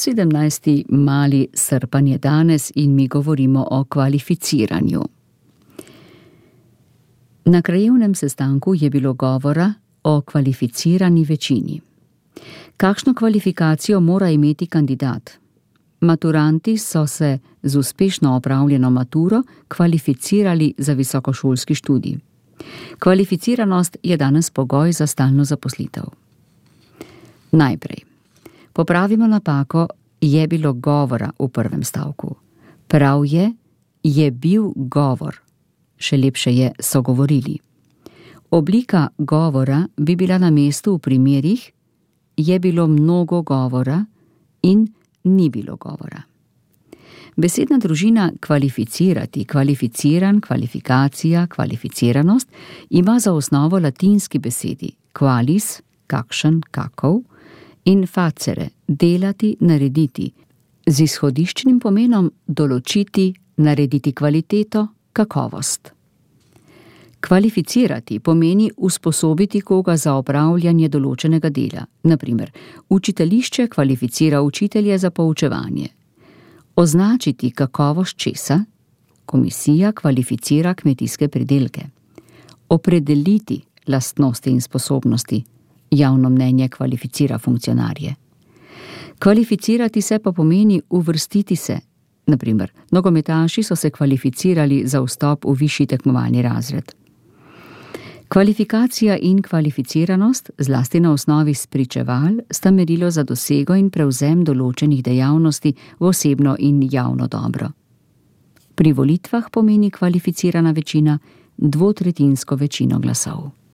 17. mali srpan je danes in mi govorimo o kvalificiranju. Na krajevnem sestanku je bilo govora o kvalificirani večini. Kakšno kvalifikacijo mora imeti kandidat? Maturanti so se z uspešno opravljeno maturo kvalificirali za visokošolski študij. Kvalificiranost je danes pogoj za stalno zaposlitev. Najprej. Popravimo napako, je bilo govora v prvem stavku. Prav je bil govor. Še lepše je, so govorili. Oblika govora bi bila na mestu v primerih, je bilo mnogo govora in ni bilo govora. Besedna družina kvalificirati, kvalificiran, kvalifikacija, kvalificiranost ima za osnovo latinski besedi qualis, kakšen, kakov, in facere, delati, narediti, z izhodiščnim pomenom določiti, narediti kvaliteto, kakovost. Kvalificirati pomeni usposobiti koga za opravljanje določenega dela. Na primer, učiteljišče kvalificira učitelje za poučevanje. Označiti kakovost česa, komisija kvalificira kmetijske pridelke. Opredeliti lastnosti in sposobnosti, javno mnenje kvalificira funkcionarje. Kvalificirati se pa pomeni uvrstiti se. Na primer, nogometaši so se kvalificirali za vstop v višji tekmovalni razred. Kvalifikacija in kvalificiranost, zlasti na osnovi spričeval, sta merilo za dosego in prevzem določenih dejavnosti v osebno in javno dobro. Pri volitvah pomeni kvalificirana večina dvotretjinsko večino glasov.